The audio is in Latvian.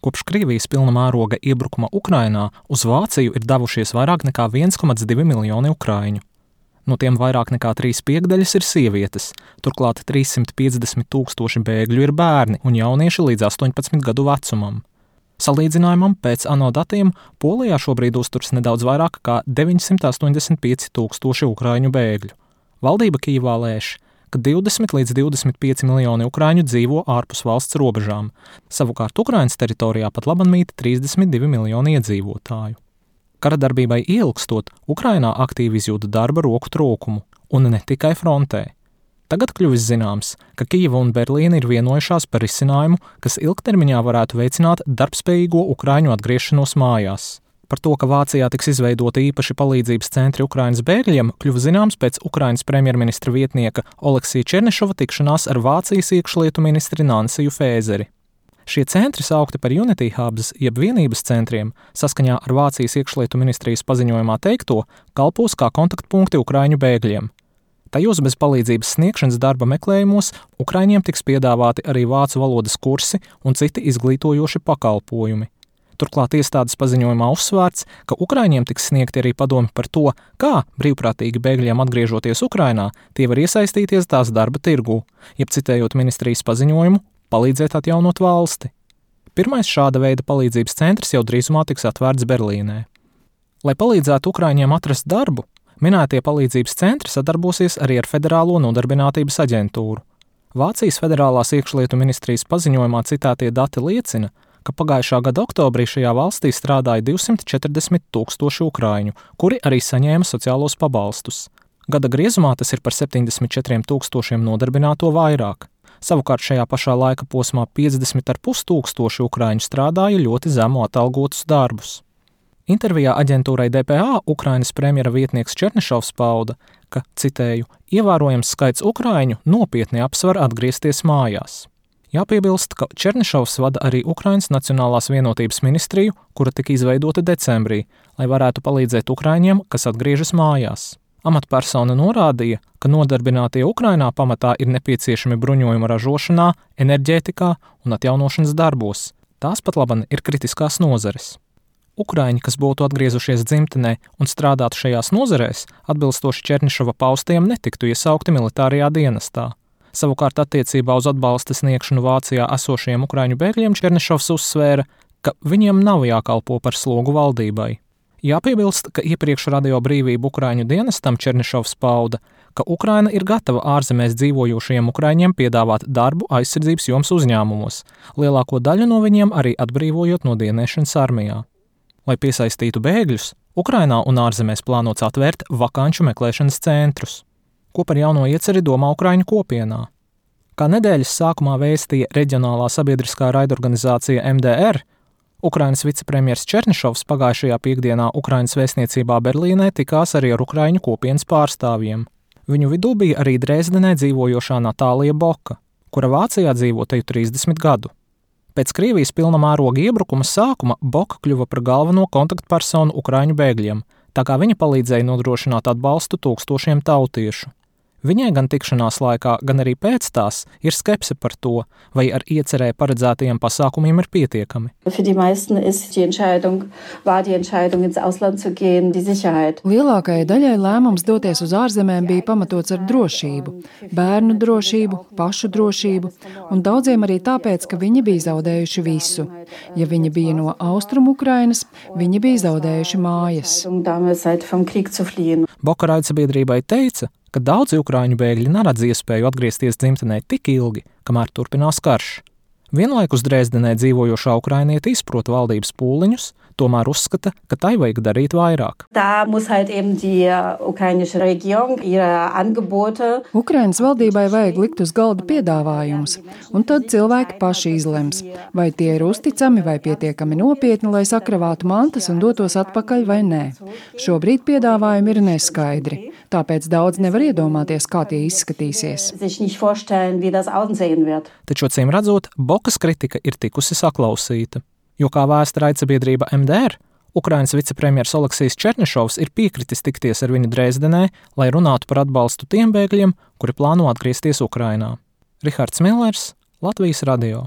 Kopš Krievijas pilna mēroga iebrukuma Ukrainā uz Vāciju ir devušies vairāk nekā 1,2 miljoni ukraiņu. No tiem vairāk nekā 3/5 ir sievietes, turklāt 350 000 bēgļu ir bērni un jaunieši līdz 18 gadu vecumam. Salīdzinājumam pēc ANO datiem Polijā šobrīd uzturas nedaudz vairāk kā 985 000 ukraiņu bēgļu. Valdība Kijevā lēš, ka 20 līdz 25 miljoni ukraiņu dzīvo ārpus valsts robežām, savukārt Ukrainas teritorijā pat laban mīt 32 miljoni iedzīvotāju. Kara darbībai ielgstot, Ukrainā aktīvi izjūta darba roku trūkumu, un ne tikai frontē. Tagad kļuvis zināms, ka Kijeva un Berlīna ir vienojušās par risinājumu, kas ilgtermiņā varētu veicināt darbspējīgo ukraiņu atgriešanos mājās. Par to, ka Vācijā tiks izveidota īpaši palīdzības centri Ukrainas bēgļiem, kļuva zināms pēc Ukrainas premjerministra vietnieka Oleksija Černišova tikšanās ar Vācijas iekšlietu ministri Nansiju Fēzeri. Šie centri saukti par Unity Hubs, jeb vienības centriem, saskaņā ar Vācijas iekšlietu ministrijas paziņojumā teikto, kalpos kā kontaktpunkti ukraiņu bēgļiem. Tajos bez palīdzības sniegšanas darba meklējumos ukraiņiem tiks piedāvāti arī vācu valodas kursi un citi izglītojoši pakalpojumi. Turklāt iestādes paziņojumā uzsvērts, ka ukraiņiem tiks sniegti arī padomi par to, kā brīvprātīgi bēgļiem atgriežoties Ukrainā, tie var iesaistīties tās darba tirgū, jeb citējot ministrijas paziņojumu, palīdzēt atjaunot valsti. Pirmais šāda veida palīdzības centrs jau drīzumā tiks atvērts Berlīnē. Lai palīdzētu ukraiņiem atrast darbu, minētie palīdzības centri sadarbosies arī ar Federālo nodarbinātības aģentūru. Vācijas federālās iekšlietu ministrijas paziņojumā citētie dati liecina, ka pagājušā gada oktobrī šajā valstī strādāja 240 000 ukraiņu, kuri arī saņēma sociālos pabalstus. Gada griezumā tas ir par 74 000 nodarbināto vairāk. Savukārt šajā pašā laika posmā 50,5 tūkstoši ukraiņu strādāja ļoti zemu atalgotus darbus. Intervijā aģentūrai DPA Ukrainas premjera vietnieks Černišovs pauda, ka, citēju, ievērojams skaits ukraiņu nopietni apsver atgriezties mājās. Jāpiebilst, ka Černišovs vada arī Ukrainas Nacionālās vienotības ministriju, kura tika izveidota decembrī, lai varētu palīdzēt ukraiņiem, kas atgriežas mājās. Amatpersona norādīja, ka nodarbinātie Ukrainā pamatā ir nepieciešami bruņojuma ražošanā, enerģētikā un atjaunošanas darbos. Tās pat laban ir kritiskās nozares. Ukraiņi, kas būtu atgriezušies dzimtenē un strādātu šajās nozarēs, atbilstoši Černišova paustajiem netiktu iesaukti militārajā dienestā. Savukārt attiecībā uz atbalsta sniegšanu Vācijā esošajiem ukraiņu bēgļiem Černišovs uzsvēra, ka viņiem nav jākalpo par slogu valdībai. Jāpiebilst, ka iepriekš Radio Brīvība Ukraiņu dienestam Černišovs pauda, ka Ukraina ir gatava ārzemēs dzīvojošajiem ukraiņiem piedāvāt darbu aizsardzības jomas uzņēmumos, lielāko daļu no viņiem arī atbrīvojot no dienēšanas armijā. Lai piesaistītu bēgļus, Ukrainā un ārzemēs plānots atvērt vakanču meklēšanas centrus. Ko par jauno ieceri domā ukraiņu kopienā? Kā nedēļas sākumā vēstīja reģionālā sabiedriskā raidorganizācija MDR, Ukrainas vicepremjers Černišovs pagājušajā piekdienā Ukrainas vēstniecībā Berlīnē tikās arī ar ukraiņu kopienas pārstāvjiem. Viņu vidū bija arī Dresdenē dzīvojošā Natālija Boka, kura Vācijā dzīvo te 30 gadu. Pēc Krievijas pilna mēroga iebrukuma sākuma Boka kļuva par galveno kontaktpersonu ukraiņu bēgļiem, tā kā viņa palīdzēja nodrošināt atbalstu tūkstošiem tautiešu. Viņai gan tikšanās laikā, gan arī pēc tās ir skepse par to, vai ar iecerē paredzētajiem pasākumiem ir pietiekami. Lielākajai daļai lēmums doties uz ārzemēm bija pamatots ar drošību, bērnu drošību, pašu drošību, un daudziem arī tāpēc, ka viņi bija zaudējuši visu. Ja viņi bija no Austrumu Ukrainas, viņi bija zaudējuši mājas. Boka raidsabiedrībai teica, ka daudzi ukraiņu bēgļi neredz iespēju atgriezties dzimtenē tik ilgi, kamēr turpinās karš. Vienlaikus Dresdenē dzīvojošā ukrainiete izprot valdības pūliņus, tomēr uzskata, ka tai vajag darīt vairāk. Ukrainas valdībai vajag likt uz galda piedāvājumus, un tad cilvēki paši izlems, vai tie ir uzticami vai pietiekami nopietni, lai sakravātu mantas un dotos atpakaļ vai nē. Šobrīd piedāvājumi ir neskaidri, tāpēc daudz nevar iedomāties, kā tie izskatīsies. Taču, acīm redzot, Bokas kritika ir tikusi saklausīta. Jo, kā vēsta raidsabiedrība MDR, Ukrainas vicepremjers Oleksijs Černišovs ir piekritis tikties ar viņu Dresdenē, lai runātu par atbalstu tiem bēgļiem, kuri plāno atgriezties Ukrainā. Rihards Millers, Latvijas radio.